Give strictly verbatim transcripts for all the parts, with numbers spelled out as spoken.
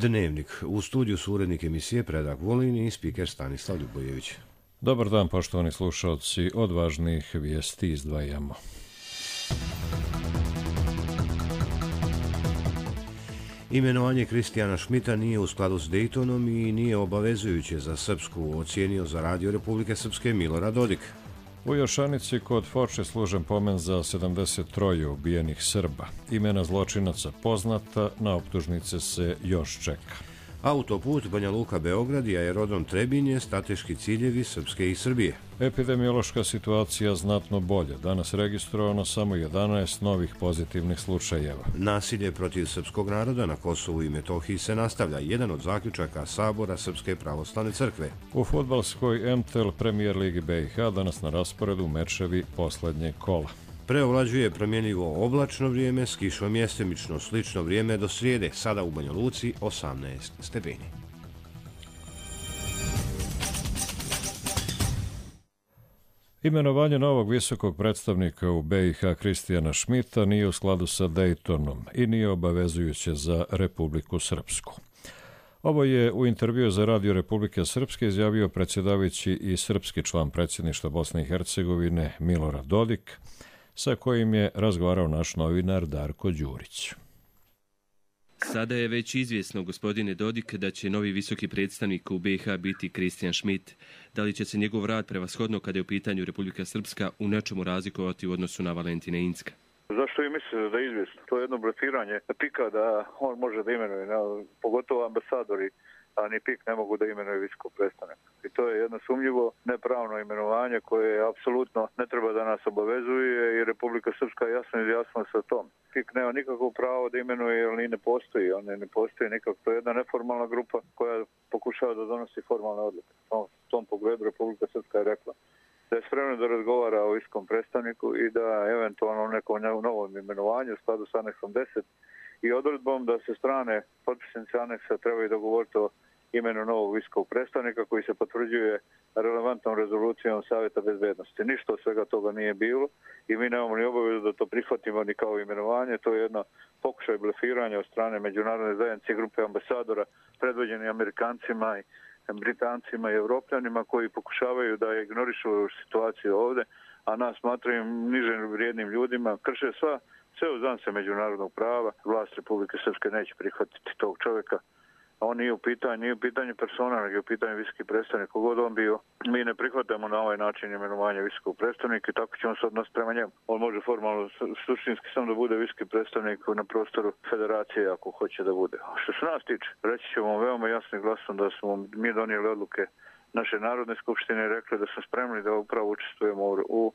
Dnevnik. U studiju su urednik emisije Predrag Vulin i spiker Stanislav Ljubojević. Dobar dan, poštovani slušalci. Od važnih vijesti izdvajamo. Imenovanje Kristijana Šmita nije u skladu s Dejtonom i nije obavezujuće za Srpsku, ocijenio za Radio Republike Srpske Milorad Dodik. U Jošanici kod Foče služen pomen za sedamdeset tri ubijenih Srba. Imena zločinaca poznata, na optužnice se još čeka. Autoput Banja Luka-Beograd i aerodrom Trebinje strateški ciljevi Srpske i Srbije. Epidemiološka situacija znatno bolje. Danas registrovano samo jedanaest novih pozitivnih slučajeva. Nasilje protiv srpskog naroda na Kosovu i Metohiji se nastavlja. Jedan od zaključaka Sabora Srpske pravoslavne crkve. U fudbalskoj M T L Premier Ligi B i H danas na rasporedu mečevi posljednjeg kola. Preovlađuje promjenljivo oblačno vrijeme s kišom mjestimično slično vrijeme do srijede, sada u Banja Luci osamnaest stepeni. Imenovanje novog visokog predstavnika u B i H Kristijana Šmita nije u skladu sa Dejtonom i nije obavezujuće za Republiku Srpsku. Ovo je u intervju za Radio Republike Srpske izjavio predsjedavajući i srpski član predsjedništva Bosne i Hercegovine Milorad Dodik, sa kojim je razgovarao naš novinar Darko Đurić. Sada je već izvjesno, gospodine Dodik, da će novi visoki predstavnik u B i H biti Kristijan Šmit. Da li će se njegov rad prevashodno kada je u pitanju Republika Srpska u nečemu razlikovati u odnosu na Valentina Inzka? Zašto vi mislite da je izvjesno? To je jedno blefiranje pika da on može da imenuje, pogotovo ambasadori, a ni pik ne mogu da imenuje visokog predstavnika. I to je jedno sumnjivo, nepravno imenovanje koje apsolutno ne treba da nas obavezuje i Republika Srpska jasno izjasnila sa tom. Pik nema nikakvo pravo da imenuje jer ni ne postoji, on ne postoji nikako. To je jedna neformalna grupa koja pokušava da donosi formalne odluke. U tom pogledu Republika Srpska je rekla da je spremna da razgovara o visokom predstavniku i da eventualno nekom novom imenovanju u skladu sa aneksom deset i odredbom da se strane potpisnice aneksa trebaju dogovoriti o imenu novog visokog predstavnika koji se potvrđuje relevantnom rezolucijom Savjeta bezbednosti. Ništa od svega toga nije bilo i mi nemamo ni obavezu da to prihvatimo ni kao imenovanje. To je jedno pokušaj blefiranja od strane međunarodne zajednice i grupe ambasadora predvođeni Amerikancima i Britancima i Evropljanima koji pokušavaju da ignorišu situaciju ovdje, a nas smatraju niže vrijednim ljudima, krše sva sve uzance međunarodnog prava. Vlast Republike Srpske neće prihvatiti tog čovjeka. On nije u pitanju, nije u pitanju persona, nego je u pitanju visoki predstavnik. Kogod on bio, mi ne prihvatamo na ovaj način imenovanje visokog predstavnika i tako ćemo se odnositi prema njemu. On može formalno, suštinski samo da bude visoki predstavnik na prostoru federacije ako hoće da bude. A što se nas tiče, reći ćemo veoma jasnim glasom da smo mi donijeli odluke naše Narodne skupštine i rekli da smo spremni da upravo učestvujemo u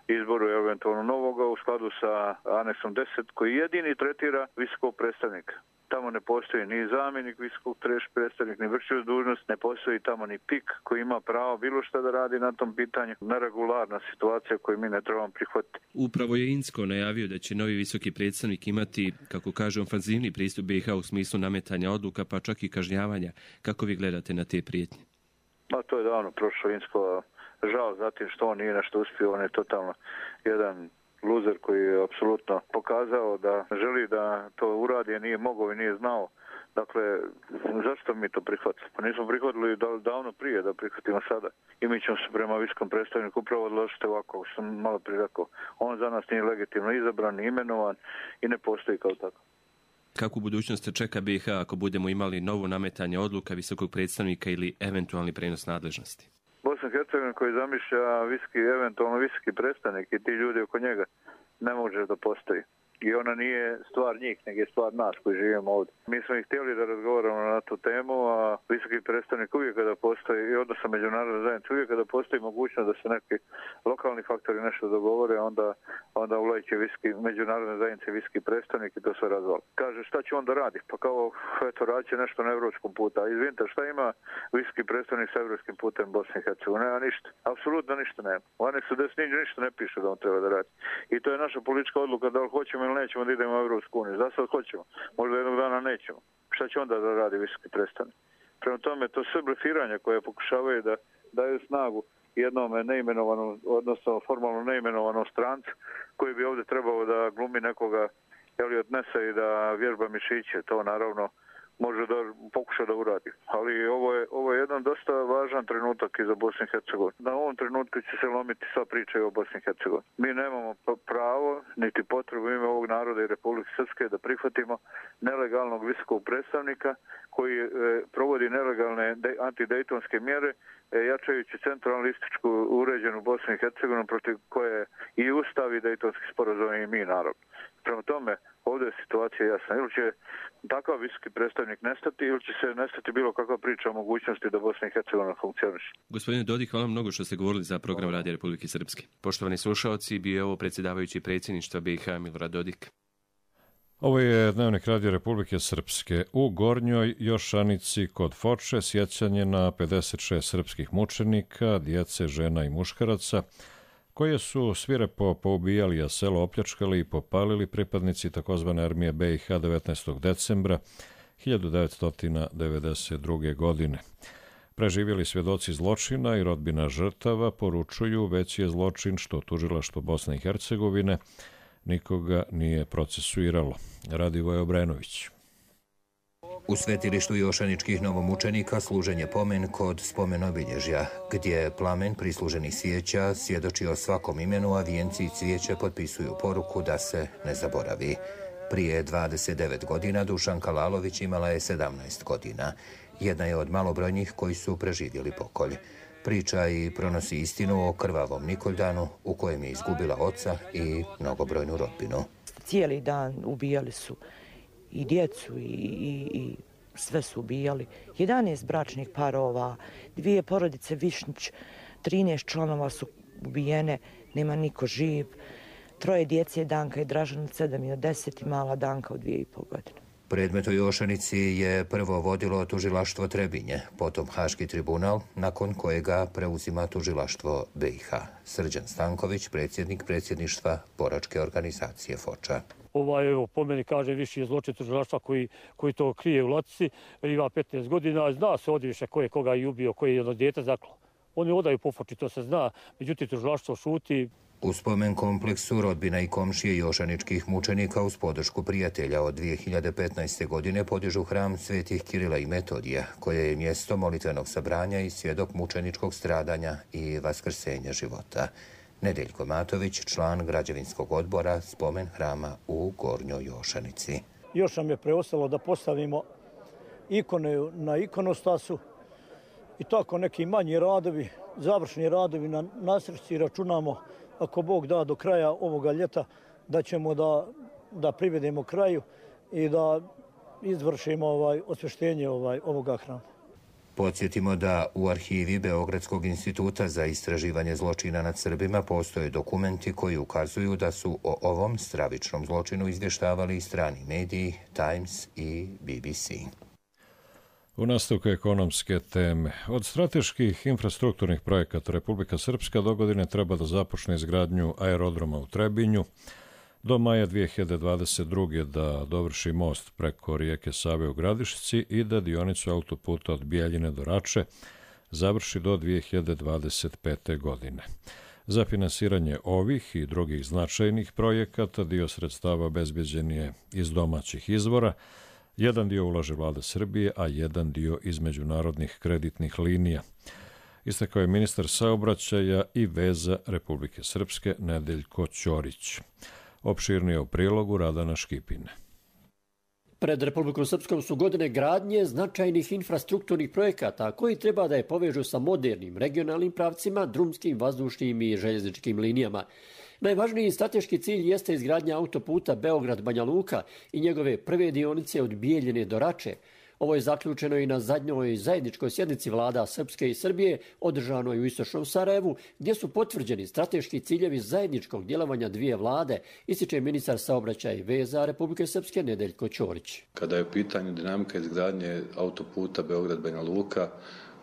izboru eventualno novoga u skladu sa aneksom deset koji jedini tretira visokog predstavnika. Tamo ne postoji ni zamjenik visokog predstavnika, ni vršioc dužnost, ne postoji tamo ni pik koji ima pravo bilo šta da radi na tom pitanju. Neregularna situacija koju mi ne trebamo prihvatiti. Upravo je Inzko najavio da će novi visoki predstavnik imati, kako kaže, ofanzivni pristup B i H u smislu nametanja odluka, pa čak i kažnjavanja. Kako vi gledate na te prijetnje? Pa to je davno prošlo Inzko. Žao zatim što on nije nešto uspio, on je totalno jedan luzer koji je apsolutno pokazao da želi da to uradi, a nije mogao i nije znao. Dakle, zašto mi to prihvatili? Pa nismo prihvatili davno prije da prihvatimo sada. I mi ćemo se prema visokom predstavniku upravo odložiti ovako, što sam malo prije rekao. On za nas nije legitimno izabran, ni imenovan i ne postoji kao tako. Kako u budućnosti čeka B i H ako budemo imali novo nametanje odluka visokog predstavnika ili eventualni prenos nadležnosti? Bosna i Hercegovina koji zamišlja viski, eventualno visoki predstavnik i ti ljudi oko njega ne može da postoji. I ona nije stvar njih, nego je stvar nas koji živimo ovdje. Mi smo ih htjeli da razgovaramo na tu temu, a visoki predstavnik uvijek kada postoji, i odnosno međunarodna zajednica, uvijek kada postoji mogućnost da se neki lokalni faktori nešto dogovore, onda, onda ulazi visoki, međunarodne zajednice visoki predstavnik i to sve razvali. Kaže, šta će on da radi? Pa kao, eto, radit će nešto na evropskom putu. A izvinite, šta ima visoki predstavnik sa evropskim putem Bosne i Hercegovine? Nema ništa. Apsolutno ništa nema. U aneksu deset ništa ne piše da on treba da radi. I to je naša politička odluka da li hoćemo ili nećemo da idemo u Evropsku uniju. Za sad hoćemo. Možda jednog dana nećemo. Šta će onda da radi visoki predstavnik? Prema tome, to sve blefiranja koje pokušavaju da daju snagu jednom neimenovanom, odnosno formalno neimenovanom strancu koji bi ovdje trebao da glumi nekoga ili odnese i da vježba mišiće. To naravno može da pokuša da uradi. Ali ovo je, ovo je jedan dosta važan trenutak i za Bosnu i Hercegovinu. Na ovom trenutku će se lomiti sva priča o Bosni i Hercegovini. Mi nemamo pravo, niti potrebu ime ovog naroda i Republike Srpske da prihvatimo nelegalnog visokog predstavnika koji e, provodi nelegalne antidejtonske mjere, e, jačajući centralističku uređenu Bosnu i Hercegovinu protiv koje i Ustav i dejtonski sporazum i mi narod. Prema tome, ovdje je situacija jasna. Ili će takav visoki predstavnik nestati, ili će se nestati bilo kakva priča o mogućnosti da Bosna i Hercegovina funkcioniše. Gospodine Dodik, hvala mnogo što ste govorili za program Radija Republike Srpske. Poštovani slušaoci, bio je ovo predsjedavajući predsjedništva B i H Milorad Dodik. Ovo je Dnevnik Radija Republike Srpske. U Gornjoj Jošanici kod Foče sjećanje na pedeset šest srpskih mučenika, djece, žena i muškaraca, koje su svirepo poubijali, a selo opljačkali i popalili pripadnici takozvane armije B i H devetnaestog decembra hiljadu devetsto devedeset druge. godine. Preživjeli svjedoci zločina i rodbina žrtava poručuju veći je zločin što tužilaštvo Bosne i Hercegovine nikoga nije procesuiralo. Radivoje Obrenović. U svetilištu jošaničkih novomučenika služen je pomen kod spomenobilježja, gdje plamen prisluženih svijeća svjedoči o svakom imenu, a vijenci i cvijeće potpisuju poruku da se ne zaboravi. Prije dvadeset devet godina Dušanka Lalović imala je sedamnaest godina. Jedna je od malobrojnih koji su preživjeli pokolj. Priča i pronosi istinu o krvavom Nikoldanu u kojem je izgubila oca i mnogobrojnu rodbinu. Cijeli dan ubijali su i djecu i, i, i sve su ubijali. jedanaest bračnih parova, dvije porodice Višnjić, trinaest članova su ubijene, nema niko živ. Troje djece, Danka i Dražan od sedam i od deset i mala Danka od dvije i pol godine. Predmet u Jošanici je prvo vodilo tužilaštvo Trebinje, potom Haški tribunal, nakon kojega preuzima tužilaštvo B i H. Srđan Stanković, predsjednik predsjedništva boračke organizacije Foča. Ovaj, evo, po meni kaže viši je zločin tužilaštva koji, koji to krije u latici, ima petnaest godina, zna se ovdje više ko je koga i ubio, koji je jedno dijete zaklo. Oni odaju po Foči, to se zna, međutim tužilaštvo šuti. U spomen kompleksu rodbina i komšije jošaničkih mučenika uz podršku prijatelja od dvije hiljade petnaeste. godine podižu hram Svetih Kirila i Metodija, koje je mjesto molitvenog sabranja i svjedok mučeničkog stradanja i vaskrsenja života. Nedeljko Matović, član građevinskog odbora spomen hrama u Gornjoj Jošanici. Još nam je preostalo da postavimo ikone na ikonostasu i tako neki manji radovi, završni radovi na nasrci. Računamo, ako Bog da, do kraja ovoga ljeta da ćemo da, da privedemo kraju i da izvršimo ovaj, osvještenje ovaj, ovoga hrama. Podsjetimo da u arhivi Beogradskog instituta za istraživanje zločina nad Srbima postoje dokumenti koji ukazuju da su o ovom stravičnom zločinu izvještavali i strani mediji, Times i B B C. U nastavku ekonomske teme. Od strateških infrastrukturnih projekata Republika Srpska do godine treba da započne izgradnju aerodroma u Trebinju, do maja dvije hiljade dvadeset druge. da dovrši most preko rijeke Save u Gradišci i da dionicu autoputa od Bijeljine do Rače završi do dvije hiljade dvadeset pete. godine. Za finansiranje ovih i drugih značajnih projekata dio sredstava obezbeđen je iz domaćih izvora. Jedan dio ulaže vlada Srbije, a jedan dio iz međunarodnih kreditnih linija. Istakao je ministar saobraćaja i veza Republike Srpske Nedeljko Ćorić. Opširnije u prilogu Radana Škipine. Pred Republikom Srpskom su godine gradnje značajnih infrastrukturnih projekata koji treba da je povežu sa modernim regionalnim pravcima, drumskim, vazdušnim i željezničkim linijama. Najvažniji strateški cilj jeste izgradnja autoputa Beograd-Banja Luka i njegove prve dionice od Bijeljine do Rače. Ovo je zaključeno i na zadnjoj zajedničkoj sjednici vlada Srpske i Srbije, održanoj u istočnom Sarajevu, gdje su potvrđeni strateški ciljevi zajedničkog djelovanja dvije vlade, ističe ministar saobraćaja i veza Republike Srpske Nedeljko Ćorić. Kada je u pitanju dinamika izgradnje autoputa Beograd-Banja Luka,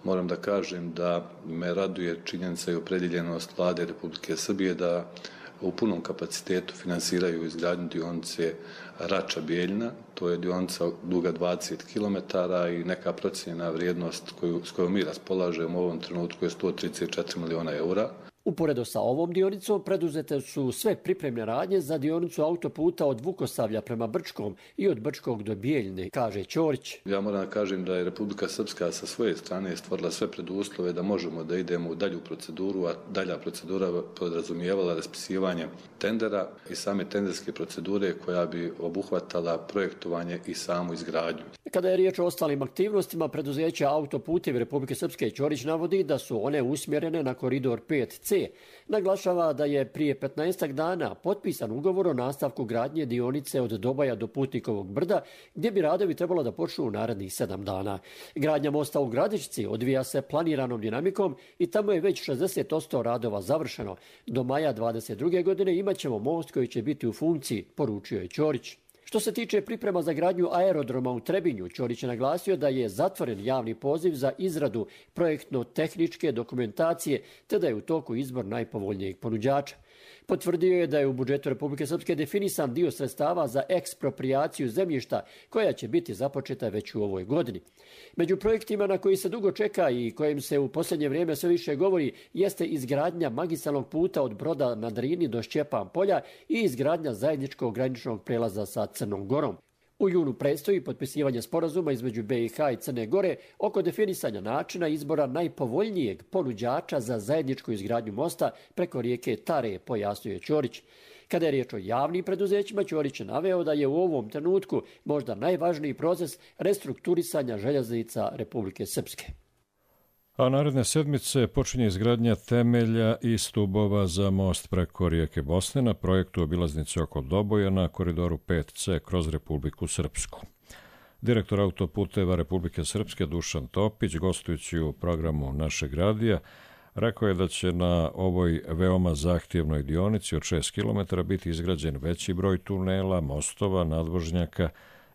moram da kažem da me raduje činjenica i opredjeljenost vlade Republike Srbije da u punom kapacitetu finansiraju izgradnju dionice Rača-Bijeljina. To je dionica duga dvadeset kilometara i neka procijenjena vrijednost koju, s kojom mi raspolažemo u ovom trenutku je sto trideset četiri miliona eura. Uporedo sa ovom dionicom preduzete su sve pripremne radnje za dionicu autoputa od Vukosavlja prema Brčkom i od Brčkog do Bijeljine, kaže Ćorić. Ja moram da kažem da je Republika Srpska sa svoje strane stvorila sve preduslove da možemo da idemo u dalju proceduru, a dalja procedura podrazumijevala raspisivanje tendera i same tenderske procedure koja bi obuhvatala projektovanje i samu izgradnju. Kada je riječ o ostalim aktivnostima preduzeća Autoputevi Republike Srpske, Ćorić navodi da su one usmjerene na koridor pet ce. Naglašava da je prije petnaestak dana potpisan ugovor o nastavku gradnje dionice od Dobaja do Putnikovog brda, gdje bi radovi trebalo da počnu u narednih sedam dana. Gradnja mosta u Gradišci odvija se planiranom dinamikom i tamo je već šezdeset posto radova završeno. Do maja dvadeset druge godine imat ćemo most koji će biti u funkciji, poručio je Ćorić. Što se tiče priprema za gradnju aerodroma u Trebinju, Ćorić je naglasio da je zatvoren javni poziv za izradu projektno-tehničke dokumentacije, te da je u toku izbor najpovoljnijeg ponuđača. Potvrdio je da je u budžetu Republike Srpske definisan dio sredstava za eksproprijaciju zemljišta, koja će biti započeta već u ovoj godini. Među projektima na koji se dugo čeka i kojim se u posljednje vrijeme sve više govori jeste izgradnja magistralnog puta od Broda na Drini do Šćepan polja i izgradnja zajedničkog graničnog prelaza sa Crnom Gorom. U junu predstoji potpisivanje sporazuma između be i ha i Crne Gore oko definisanja načina izbora najpovoljnijeg ponuđača za zajedničku izgradnju mosta preko rijeke Tare, pojasnjuje Ćorić. Kada je riječ o javnim preduzećima, Ćorić je naveo da je u ovom trenutku možda najvažniji proces restrukturisanja željeznica Republike Srpske. A naredne sedmice počinje izgradnja temelja i stubova za most preko rijeke Bosne na projektu obilaznice oko Doboja na koridoru pet ce kroz Republiku Srpsku. Direktor Autoputeva Republike Srpske Dušan Topić, gostujući u programu Našeg radija, rekao je da će na ovoj veoma zahtjevnoj dionici od šest kilometara biti izgrađen veći broj tunela, mostova, nadvožnjaka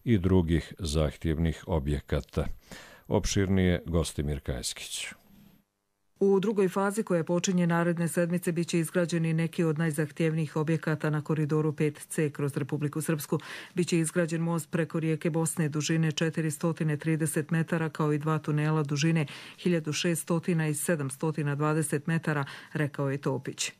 i drugih zahtjevnih objekata. Opširnije Gostimir Kajskić. U drugoj fazi koja počinje naredne sedmice biće izgrađeni neki od najzahtjevnijih objekata na koridoru pet ce kroz Republiku Srpsku. Biće izgrađen most preko rijeke Bosne dužine četiristo trideset metara kao i dva tunela dužine hiljadu šesto i sedamsto dvadeset metara, rekao je Topić.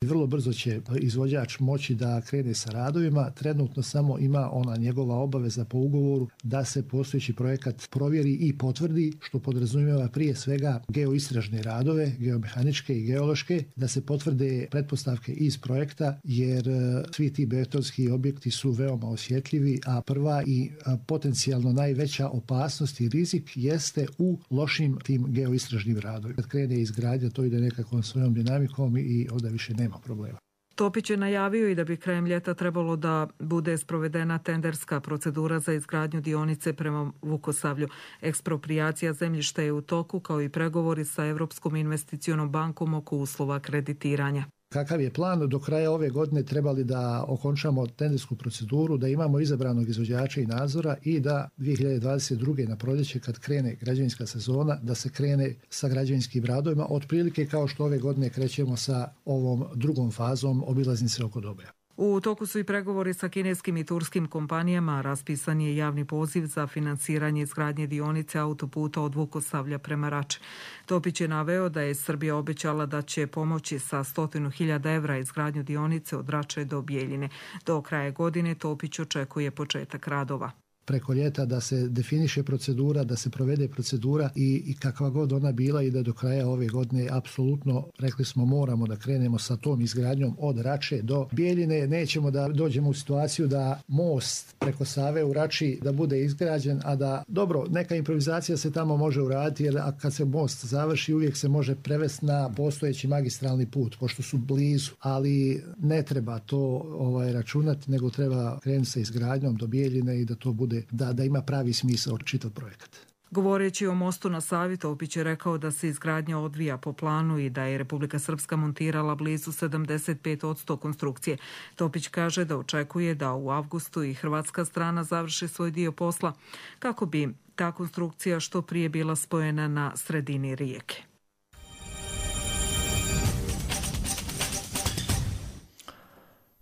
Vrlo brzo će izvođač moći da krene sa radovima. Trenutno samo ima ona njegova obaveza po ugovoru da se postojeći projekat provjeri i potvrdi, što podrazumijeva prije svega geoistražne radove, geomehaničke i geološke, da se potvrde pretpostavke iz projekta, jer svi ti betonski objekti su veoma osjetljivi, a prva i potencijalno najveća opasnost i rizik jeste u lošim tim geoistražnim radovima. Kad krene izgradnja, to ide nekakvom svojom dinamikom i onda više nema problema. Topić je najavio i da bi krajem ljeta trebalo da bude sprovedena tenderska procedura za izgradnju dionice prema Vukosavlju. Eksproprijacija zemljišta je u toku, kao i pregovori sa Evropskom investicionom bankom oko uslova kreditiranja. Kakav je plan? Do kraja ove godine trebali da okončamo tendersku proceduru, da imamo izabranog izvođača i nadzora i da dvije hiljade dvadeset druge na proljeće, kad krene građevinska sezona, da se krene sa građevinskim radovima, otprilike kao što ove godine krećemo sa ovom drugom fazom obilaznice oko Doboja. U toku su i pregovori sa kineskim i turskim kompanijama, raspisan je javni poziv za finansiranje izgradnje dionice autoputa od Vukosavlja prema Rači. Topić je naveo da je Srbija obećala da će pomoći sa stotinu hiljada evra izgradnju dionice od Rače do Bijeljine. Do kraja godine Topić očekuje početak radova. Preko ljeta da se definiše procedura, da se provede procedura i, i kakva god ona bila i da do kraja ove godine apsolutno, rekli smo, moramo da krenemo sa tom izgradnjom od Rače do Bijeljine. Nećemo da dođemo u situaciju da most preko Save u Rači da bude izgrađen, a da, dobro, neka improvizacija se tamo može uraditi, jer kad se most završi uvijek se može prevesti na postojeći magistralni put, pošto su blizu, ali ne treba to ovaj, računati, nego treba krenuti sa izgradnjom do Bijeljine i da to bude Da, da ima pravi smisao čitav projekat. Govoreći o mostu na Savi, Topić je rekao da se izgradnja odvija po planu i da je Republika Srpska montirala blizu sedamdeset pet posto konstrukcije. Topić kaže da očekuje da u avgustu i hrvatska strana završi svoj dio posla kako bi ta konstrukcija što prije bila spojena na sredini rijeke.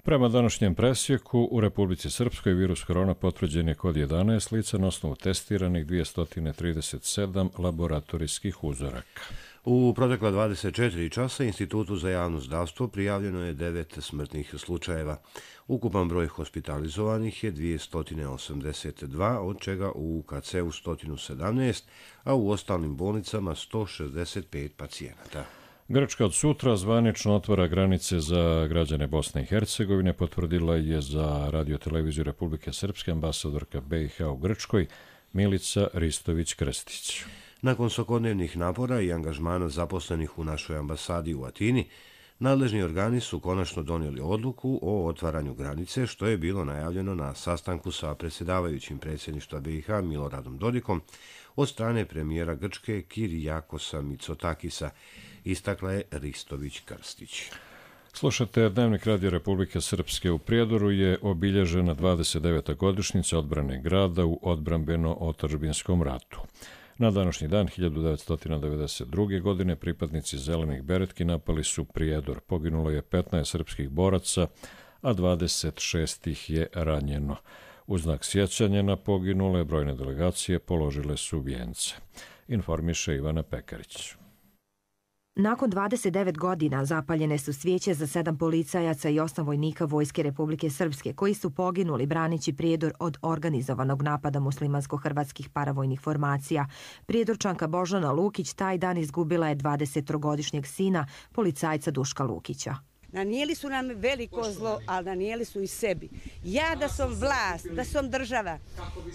Prema današnjem presjeku, u Republici Srpskoj virus korona potvrđen je kod jedanaest lica na osnovu testiranih dvjesto trideset sedam laboratorijskih uzoraka. U protekla dvadeset četiri časa Institutu za javno zdravstvo prijavljeno je devet smrtnih slučajeva. Ukupan broj hospitalizovanih je dvjesto osamdeset dva, od čega u U K C-u sto sedamnaest, a u ostalim bolnicama sto šezdeset pet pacijenata. Grčka od sutra zvanično otvara granice za građane Bosne i Hercegovine, potvrdila je za radioteleviziju Republike Srpske ambasadorka B i H u Grčkoj Milica Ristović-Krstić. Nakon svakodnevnih napora i angažmana zaposlenih u našoj ambasadi u Atini, nadležni organi su konačno donijeli odluku o otvaranju granice, što je bilo najavljeno na sastanku sa predsjedavajućim predsjedništva B i H Miloradom Dodikom od strane premijera Grčke Kirijakosa Mitsotakisa, istakla je Ristović-Krstić. Slušate Dnevnik Radio Republike Srpske. U Prijedoru je obilježena dvadeset deveta godišnjica odbrane grada u odbrambeno-otadžbinskom ratu. Na današnji dan hiljadu devetsto devedeset druge. godine pripadnici Zelenih beretki napali su Prijedor. Poginulo je petnaest srpskih boraca, a dvadeset šest ih je ranjeno. U znak sjećanja na poginule brojne delegacije položile su vijence. Informiše Ivana Pekarić. Nakon dvadeset devet godina zapaljene su svijeće za sedam policajaca i osam vojnika Vojske Republike Srpske koji su poginuli braneći Prijedor od organizovanog napada muslimansko-hrvatskih paravojnih formacija. Prijedorčanka Božana Lukić taj dan izgubila je dvadesettrogodišnjeg sina, policajca Duška Lukića. Nanijeli su nam veliko zlo, ali nanijeli su i sebi. Ja da sam vlast, da sam država,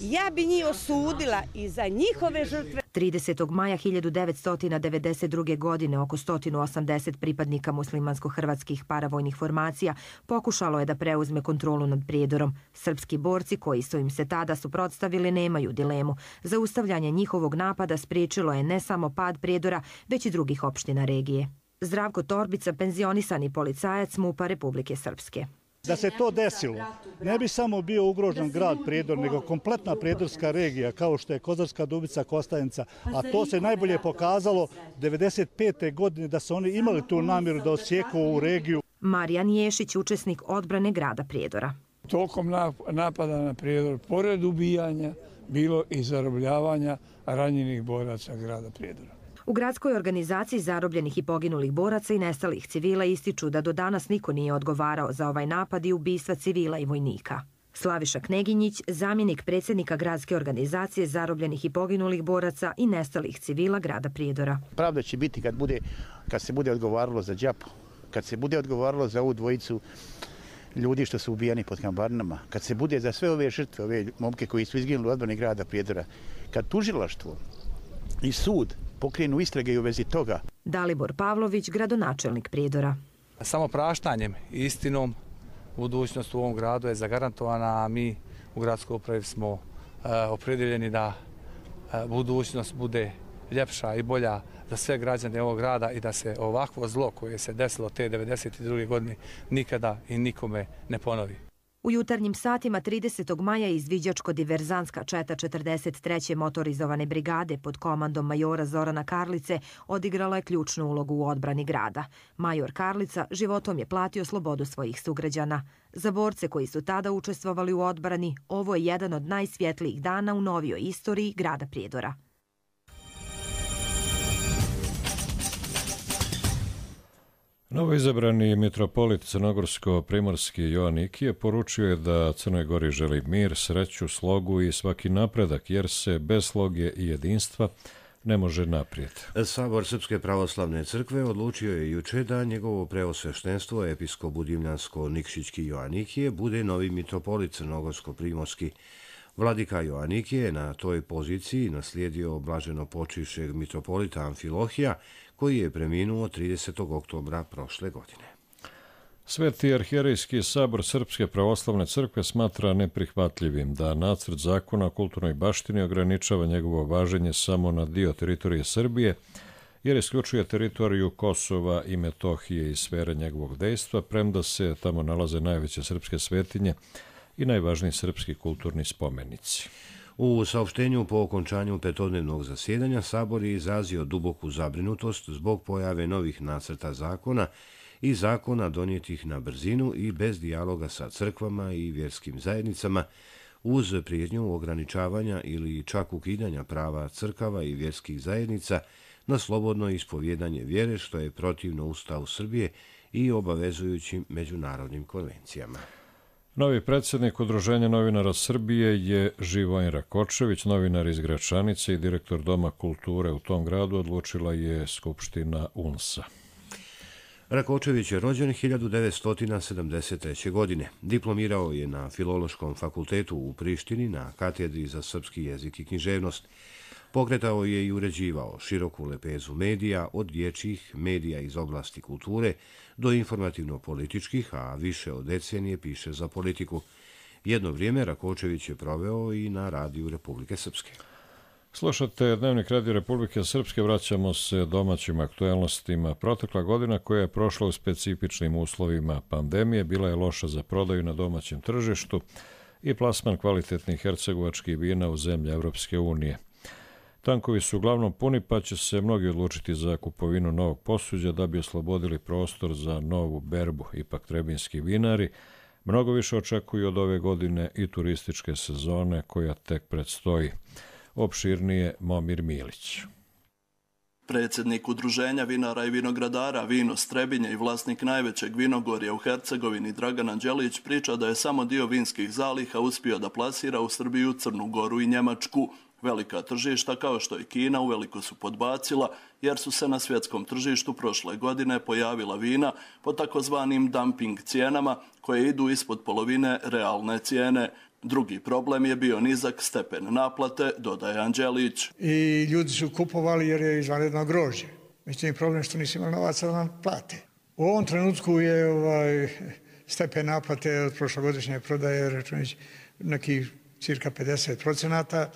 ja bi njih osudila i za njihove žrtve. tridesetog maja hiljadu devetsto devedeset druge. godine oko sto osamdeset pripadnika muslimansko-hrvatskih paravojnih formacija pokušalo je da preuzme kontrolu nad Prijedorom. Srpski borci koji su im se tada suprotstavili nemaju dilemu. Zaustavljanje njihovog napada spriječilo je ne samo pad Prijedora, već i drugih opština regije. Zdravko Torbica, penzionisani policajac MUP-a Republike Srpske. Da se to desilo, ne bi samo bio ugrožen grad Prijedor, nego kompletna prijedorska regija, kao što je Kozarska Dubica, Kostajenica, a to se najbolje pokazalo devedeset pete. godine da su oni imali tu namjeru da osjeku ovu regiju. Marijan Ješić, učesnik odbrane grada Prijedora. Tokom napada na Prijedor, pored ubijanja, bilo i zarobljavanja ranjenih boraca grada Prijedora. U gradskoj organizaciji zarobljenih i poginulih boraca i nestalih civila ističu da do danas niko nije odgovarao za ovaj napad i ubistva civila i vojnika. Slaviša Kneginjić, zamjenik predsjednika gradske organizacije zarobljenih i poginulih boraca i nestalih civila grada Prijedora. Pravda će biti kad, bude, kad se bude odgovaralo za Đapu, kad se bude odgovaralo za ovu dvojicu ljudi što su ubijani pod Kambarnama, kad se bude za sve ove žrtve, ove momke koji su izginuli u odbrani grada Prijedora, kad tužilaštvo i sud pokrenu istrage i u vezi toga. Dalibor Pavlović, gradonačelnik Prijedora. Samo praštanjem i istinom budućnost u ovom gradu je zagarantovana, a mi u gradskoj upravi smo uh, opredjeljeni da uh, budućnost bude ljepša i bolja za sve građane ovog grada i da se ovakvo zlo koje se desilo te devedeset druge. godine nikada i nikome ne ponovi. U jutarnjim satima tridesetog maja izviđačko-diverzantska četa četrdeset treće motorizovane brigade pod komandom majora Zorana Karlice odigrala je ključnu ulogu u odbrani grada. Major Karlica životom je platio slobodu svojih sugrađana. Za borce koji su tada učestvovali u odbrani, ovo je jedan od najsvjetlijih dana u novijoj istoriji grada Prijedora. Novoizabrani mitropolit crnogorsko-primorski Jovan Ikije poručio je da Crnoj Gori želi mir, sreću, slogu i svaki napredak, jer se bez sloge i jedinstva ne može naprijed. Sabor Srpske pravoslavne crkve odlučio je juče da njegovo preosveštenstvo episkop Budimljansko-Nikšićki Jovan Ikije bude novi mitropolit crnogorsko-primorski. Vladika Jovan Ikije je na toj poziciji naslijedio blaženo počivšeg mitropolita Amfilohija, koji je preminuo tridesetog oktobra prošle godine. Sveti arhijerejski sabor Srpske pravoslavne crkve smatra neprihvatljivim da nacrt zakona o kulturnoj baštini ograničava njegovo važenje samo na dio teritorije Srbije, jer isključuje teritoriju Kosova i Metohije iz sfere njegovog dejstva, premda se tamo nalaze najveće srpske svetinje i najvažniji srpski kulturni spomenici. U saopštenju po okončanju petodnevnog zasjedanja Sabor je izrazio duboku zabrinutost zbog pojave novih nacrta zakona i zakona donijetih na brzinu i bez dijaloga sa crkvama i vjerskim zajednicama, uz prijetnju ograničavanja ili čak ukidanja prava crkava i vjerskih zajednica na slobodno ispovjedanje vjere, što je protivno Ustavu Srbije i obavezujućim međunarodnim konvencijama. Novi predsjednik Udruženja novinara Srbije je Živojin Rakočević, novinar iz Gračanice i direktor Doma kulture u tom gradu, odlučila je Skupština U N S-a. Rakočević je rođen hiljadu devetsto sedamdeset treće. godine. Diplomirao je na Filološkom fakultetu u Prištini na katedri za srpski jezik i književnost. Pokretao je i uređivao široku lepezu medija, od dječjih medija iz oblasti kulture do informativno-političkih, a više od decenije piše za politiku. Jedno vrijeme Rakočević je proveo i na radiju Republike Srpske. Slušate Dnevnik Radio Republike Srpske, vraćamo se domaćim aktualnostima. Protekla godina koja je prošla u specifičnim uslovima pandemije bila je loša za prodaju na domaćem tržištu i plasman kvalitetnih hercegovačkih vina u zemlje Evropske unije. Tankovi su uglavnom puni, pa će se mnogi odlučiti za kupovinu novog posuđa da bi oslobodili prostor za novu berbu. Ipak trebinski vinari mnogo više očekuju od ove godine i turističke sezone koja tek predstoji. Opširnije Momir Milić. Predsjednik Udruženja vinara i vinogradara Vino Strebinje i vlasnik najvećeg vinogorja u Hercegovini Dragan Anđelić priča da je samo dio vinskih zaliha uspio da plasira u Srbiju, Crnu Goru i Njemačku. Velika tržišta kao što je Kina uveliko su podbacila jer su se na svjetskom tržištu prošle godine pojavila vina po takozvanim dumping cijenama koje idu ispod polovine realne cijene. Drugi problem je bio nizak stepen naplate, dodaje Anđelić. I ljudi su kupovali jer je izvanredno grožđe. Međutim, problem što nisu imali novaca da nam plate. U ovom trenutku je ovaj, stepen naplate od prošlogodišnje prodaje računić neki cirka pedeset procenata.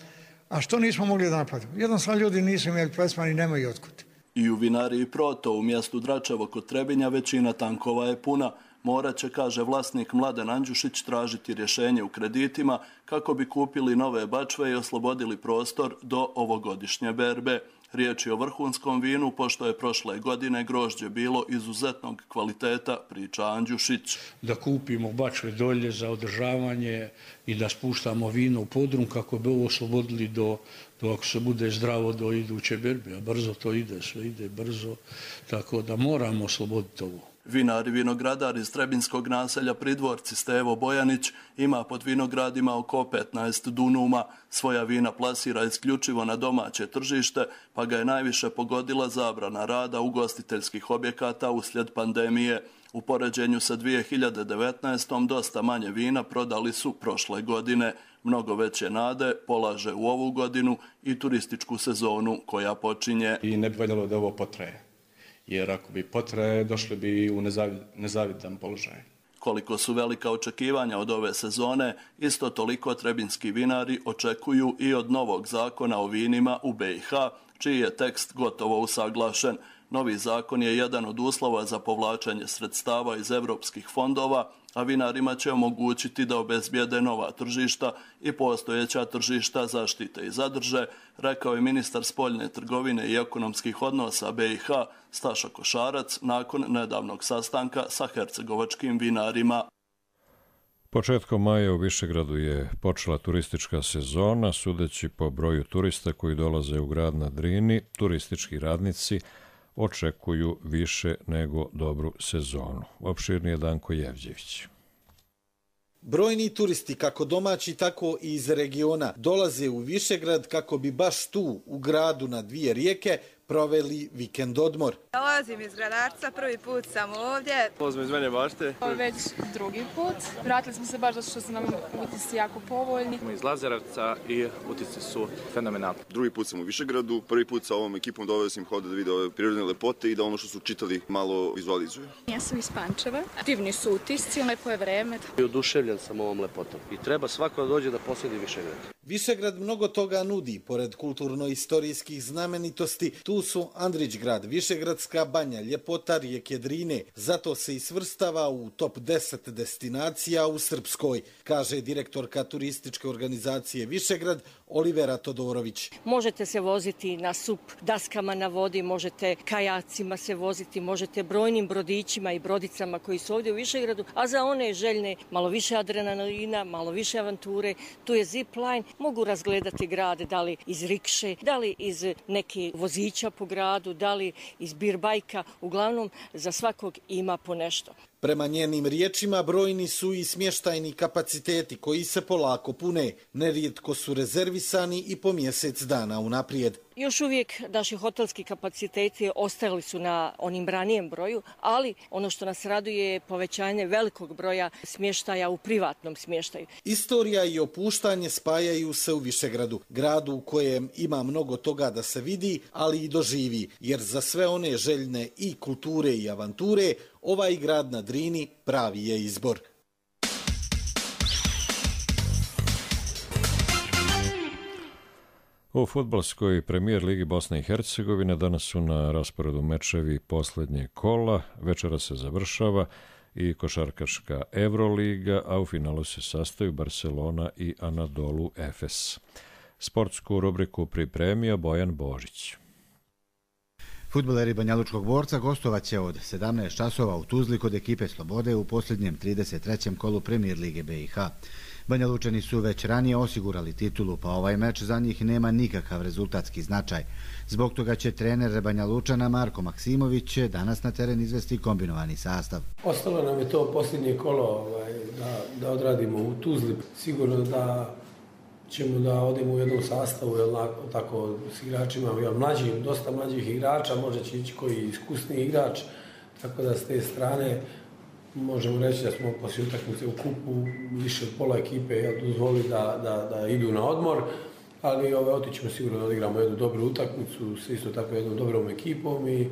A što nismo mogli da naplatimo? Jednostavno ljudi nisu imali plasman i nemaju otkud. I u vinariji Proto u mjestu Dračevo kod Trebinja većina tankova je puna. Morat će, kaže vlasnik Mladen Andjušić, tražiti rješenje u kreditima kako bi kupili nove bačve i oslobodili prostor do ovogodišnje berbe. Riječ je o vrhunskom vinu, pošto je prošle godine grožđe bilo izuzetnog kvaliteta, priča Andjušić. Da kupimo bačve dolje za održavanje i da spuštamo vino u podrum kako bi ovo oslobodili do, do ako se bude zdravo do iduće berbe. A brzo to ide, sve ide brzo, tako da moramo osloboditi ovo. Vinar i vinogradar iz Trebinskog naselja Pridvorci Stevo Bojanić ima pod vinogradima oko petnaest dunuma. Svoja vina plasira isključivo na domaće tržište, pa ga je najviše pogodila zabrana rada ugostiteljskih objekata uslijed pandemije. U poređenju sa dvije hiljade devetnaestom. dosta manje vina prodali su prošle godine. Mnogo veće nade polaže u ovu godinu i turističku sezonu koja počinje. I ne bi valjalo da ovo potraje. Jer ako bi potraje, došli bi u nezavidan položaj. Koliko su velika očekivanja od ove sezone, isto toliko trebinski vinari očekuju i od novog zakona o vinima u B i H, čiji je tekst gotovo usaglašen. Novi zakon je jedan od uslova za povlačenje sredstava iz evropskih fondova, a vinarima će omogućiti da obezbijede nova tržišta i postojeća tržišta zaštite i zadrže, rekao je ministar spoljne trgovine i ekonomskih odnosa B i H Staša Košarac nakon nedavnog sastanka sa hercegovačkim vinarima. Početkom maja u Višegradu je počela turistička sezona, sudeći po broju turista koji dolaze u grad na Drini, turistički radnici očekuju više nego dobru sezonu. Opširnije Danko Jevđević. Brojni turisti, kako domaći, tako i iz regiona, dolaze u Višegrad kako bi baš tu, u gradu na dvije rijeke, proveli vikend odmor. Dolazim iz Gradarca, prvi put sam ovdje. Dolazim iz Vene Bašte. Ovo je već drugi put. Vratili smo se baš zato što su nam utisci jako povoljni. Iz Lazaravca i utisci su fenomenalni. Drugi put sam u Višegradu, prvi put sa ovom ekipom doveo sam hoda da vide ove prirodne lepote i da ono što su čitali malo vizualizuju. Ja sam iz Pančeva. Divni su utisci, lepo je vreme. Oduševljen sam ovom lepotom i treba svako da dođe da posjeti Višegrad. Višegrad mnogo toga nudi, pored kulturno-istorijskih znamenitosti, tu su Andrićgrad, Višegradska banja, ljepota rijeke Drine. Zato se i svrstava u top deset destinacija u Srpskoj, kaže direktorka turističke organizacije Višegrad Olivera Todorović. Možete se voziti na sup daskama na vodi, možete kajacima se voziti, možete brojnim brodićima i brodicama koji su ovdje u Višegradu, a za one željne malo više adrenalina, malo više avanture, tu je zipline mogu razgledati grad, da li iz rikše, da li iz neke vozića po gradu, da li iz birbajka, uglavnom za svakog ima po nešto. Prema njenim riječima brojni su i smještajni kapaciteti koji se polako pune, nerijetko su rezervisani i po mjesec dana unaprijed. Još uvijek naši hotelski kapaciteti ostali su na onim ranijem broju, ali ono što nas raduje je povećanje velikog broja smještaja u privatnom smještaju. Istorija i opuštanje spajaju se u Višegradu, gradu u kojem ima mnogo toga da se vidi, ali i doživi, jer za sve one željne i kulture i avanture, ovaj grad na Drini pravi je izbor. U fudbalskoj premijer ligi Bosne i Hercegovine danas su na rasporedu mečevi posljednje kola, večera se završava i košarkaška Euroliga, a u finalu se sastaju Barcelona i Anadolu Efes. Sportsku rubriku pripremio Bojan Božić. Fudbaleri Banjalučkog Borca gostovaće od sedamnaest časova u Tuzli kod ekipe Slobode u posljednjem trideset trećem kolu Premijer lige B i H. Banjalučani su već ranije osigurali titulu, pa ovaj meč za njih nema nikakav rezultatski značaj. Zbog toga će trener Banjalučana Marko Maksimović danas na teren izvesti kombinovani sastav. Ostalo nam je to posljednje kolo ovaj, da, da odradimo u Tuzli. Sigurno da ćemo da odemo u jednom sastavu, jel, tako, s igračima, jel, mlađim, dosta mlađih igrača, možda će ići koji iskusni igrač, tako da s te strane možemo reći da smo poslije utakmice u kupu više od pola ekipe jel, dozvolili da, da, da idu na odmor, ali ove, otićemo sigurno da odigramo jednu dobru utakmicu s isto tako jednom dobrom ekipom i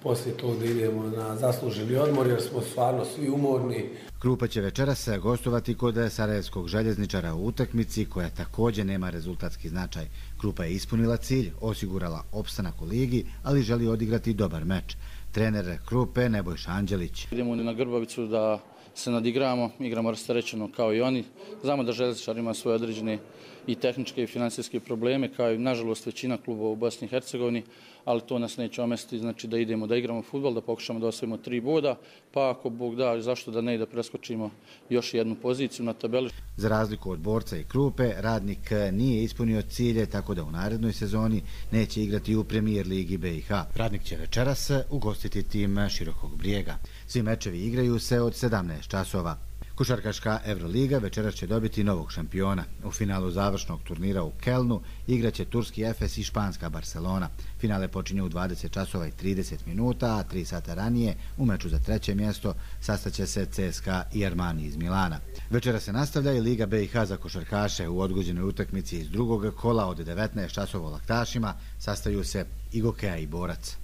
poslije toga da idemo na zasluženi odmor jer smo stvarno svi umorni. Krupa će večeras gostovati kod sarajevskog željezničara u utakmici koja također nema rezultatski značaj. Krupa je ispunila cilj, osigurala opstanak u ligi, ali želi odigrati dobar meč. Trener Krupe Nebojša Anđelić. Idemo na Grbavicu da se nadigramo, igramo rasterećeno kao i oni. Znamo da željezničar ima svoje određene i tehničke i financijske probleme, kao i nažalost većina klubova u Bosni i Hercegovini, ali to nas neće omesti, znači da idemo da igramo fudbal, da pokušamo da osvojimo tri boda, pa ako Bog da, zašto da ne, da preskočimo još jednu poziciju na tabeli. Za razliku od Borca i Krupe, Radnik nije ispunio cilje, tako da u narednoj sezoni neće igrati u Premijer ligi B i H. Radnik će večeras ugostiti tim Širokog Brijega. Svi mečevi igraju se od sedamnaest časova. Košarkaška Euroliga večeras će dobiti novog šampiona. U finalu završnog turnira u Kelnu igraće turski Efes i španska Barcelona. Finale počinje u dvadeset časova i trideset minuta, a tri sata ranije u meču za treće mjesto sastaće se C S K A i Armani iz Milana. Večera se nastavlja i Liga B i H za košarkaše. U odgođenoj utakmici iz drugog kola od devetnaest časova u Laktašima sastaju se i Gokeja i Borac.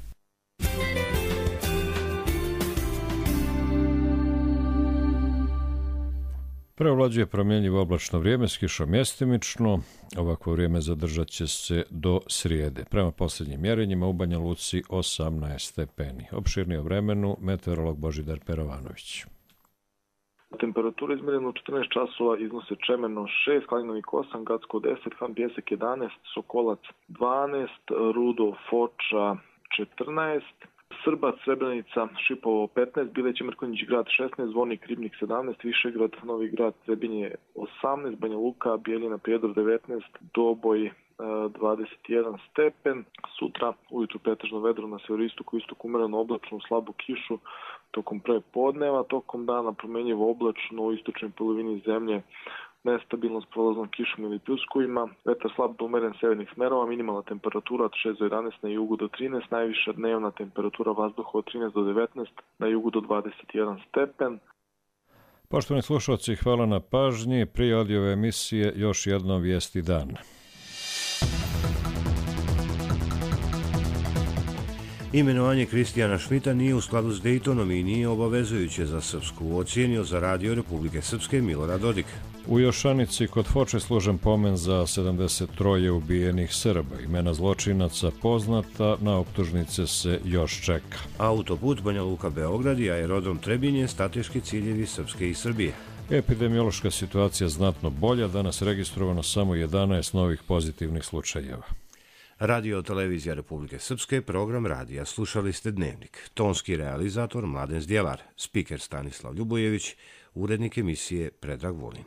Preovlađuje promjenjivo oblačno vrijeme s kišom mjestimično. Ovakvo vrijeme zadržat će se do srijede. Prema posljednjim mjerenjima u Banja Luci osamnaest stepeni. Opširnije o vremenu meteorolog Božidar Perovanović. Temperatura izmjerena u četrnaest časova iznose Čemerno šest, Klanjnovik osam, Gacko deset, Han Pijesak jedanaest, Sokolac dvanaest, Rudo, Foča četrnaest, Srbac, Srebrenica, Šipovo petnaest, Bileći, Mrkonjić grad šesnaest, Zvornik, Ribnik sedamnaest, Višegrad, Novi grad, Trebinje osamnaest, Banja Luka, Bijeljina, Prijedor devetnaest, Doboj dvadeset jedan stepen. Sutra ujutru pretežno vedro na severistoku, istoku umereno oblačno, slabu kišu tokom prve podneva, tokom dana promjenjivo oblačno u istočnoj polovini zemlje, nestabilnost prolaznom kišom ili pljuskovima, vetar slab do umeren severnih smerova, minimalna temperatura od šest do jedanaest na jugu do trinaest, najviša dnevna temperatura vazduha od trinaest do devetnaest, na jugu do dvadeset jedan stepen. Poštovani slušalci, hvala na pažnji. Prije ove emisije još jednom vijesti dan. Imenovanje Kristijana Šmita nije u skladu s Dejtonom i nije obavezujuće za Srpsku, ocijenio za Radio Republike Srpske Milorad Dodik. U Jošanici kod Foče služen pomen za sedamdeset tri ubijenih Srba. Imena zločinaca poznata, na optužnice se još čeka. Autoput Banja Luka Beograd i aerodrom Trebinje strateški ciljevi Srpske i Srbije. Epidemiološka situacija znatno bolja, danas registrovano samo jedanaest novih pozitivnih slučajeva. Radio Televizija Republike Srpske, program radija. Slušali ste Dnevnik. Tonski realizator Mladen Zdjelar, spiker Stanislav Ljubojević, urednik emisije Predrag Vulin.